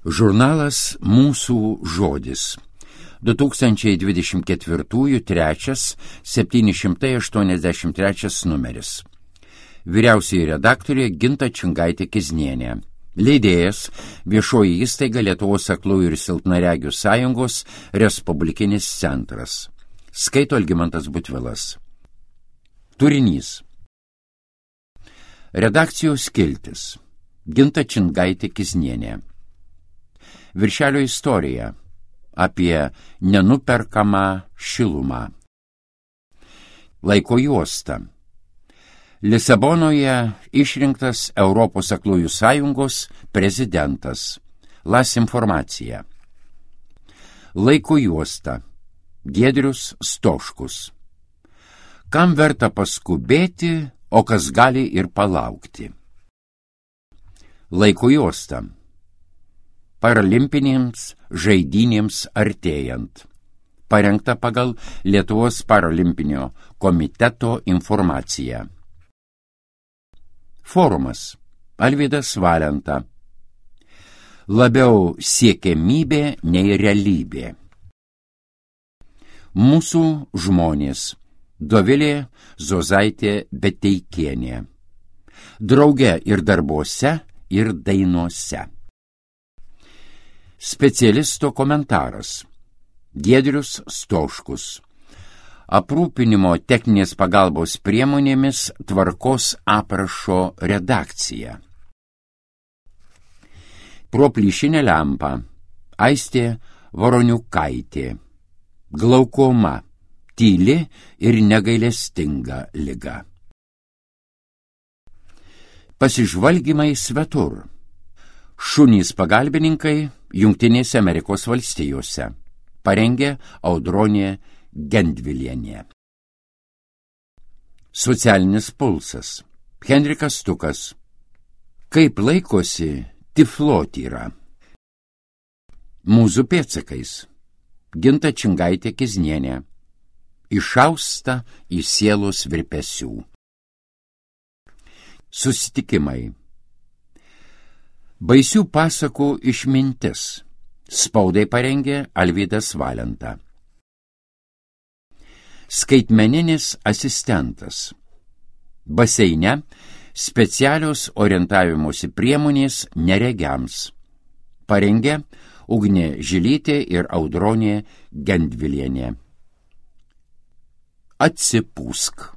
Žurnalas Mūsų žodis. 2024 3 783 numeris. Vyriausioji redaktorė Ginta Čingaitė-Kiznienė. Leidėjas Viešoji įstaiga Lietuvos aklųjų ir silpnaregių sąjungos Respublikinis centras. Skaito Algimantas Butvilas. Turinys. Redakcijos skiltis. Ginta Čingaitė-Kiznienė. Viršelio istorija apie nenuperkamą šilumą. Laiko juosta. Lisabonoje išrinktas Europos aklųjų sąjungos prezidentas. Las informacija. Laiko juosta. Giedrius Stoškus. Kam verta paskubėti, o kas gali ir palaukti? Laiko juosta. Paralimpinėms žaidynėms artėjant. Parengta pagal Lietuvos paralimpinio komiteto informaciją. Forumas. Alvydas Valenta. Labiau siekiamybė nei realybė. Mūsų žmonės. Dovilė Zozaitė Beteikienė. Drauge ir darbuose, ir dainuose. Specialisto komentaras. Giedrius Stoškus. Aprūpinimo techninės pagalbos priemonėmis tvarkos aprašo redakcija. Pro plyšinę lempą. Aistė Voroniukaitė. Glaukoma. Tyli ir negailestinga liga. Pasižvalgymai svetur. Šunys pagalbininkai Jungtinėse Amerikos valstijose. Parengė Audronė Gendvilienė. Socialinis pulsas. Henrikas Stukas. Kaip laikosi tiflotyra. Mūsų pėdsakais. Ginta Čingaitė-Kiznienė. Išausta į sielos virpesių. Susitikimai. Baisių pasakų išmintis. Spaudai parengė Alvydas Valenta. Skaitmeninis asistentas. Baseine specialios orientavimosi priemonės neregiams. Parengė Ugnė Žilytė ir Audronė Gendvilienė. Atsipūsk.